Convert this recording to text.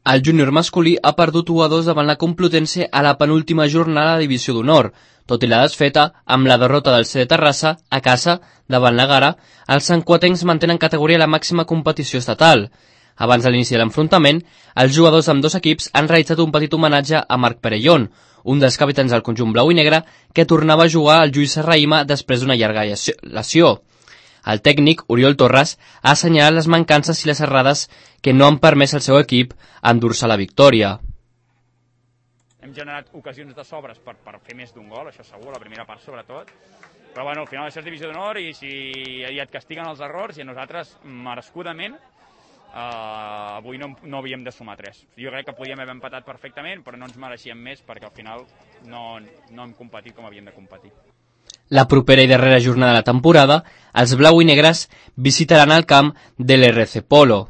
El júnior masculí ha perdut 1-2 davant la Complutense a la penúltima jornada de Divisió d'Honor. Tot i la desfeta, amb la derrota del CD Terrassa, a casa, davant la Gara, els santcuatencs mantenen categoria a la màxima competició estatal. Abans de l'inici de l'enfrontament, els jugadors amb dos equips han realitzat un petit homenatge a Marc Perellón, un dels capitans del conjunt blau i negre que tornava a jugar al Lluís Serrahima després d'una llarga lesió. El tècnic, Oriol Torres, ha assenyalat les mancances i les errades que no han permès al seu equip endur-se la victòria. Hem generat ocasions de sobres per fer més d'un gol, això segur, la primera part sobretot, però bueno, al final això és divisió d'honor i si et castiguen els errors i a nosaltres, merescudament, avui no havíem de sumar 3. Jo crec que podíem haver empatat perfectament, però no ens mereixíem més perquè al final no hem competit com havíem de competir. La propera i darrera jornada de la temporada, els blau i negres visitaran el camp de l'RC Polo.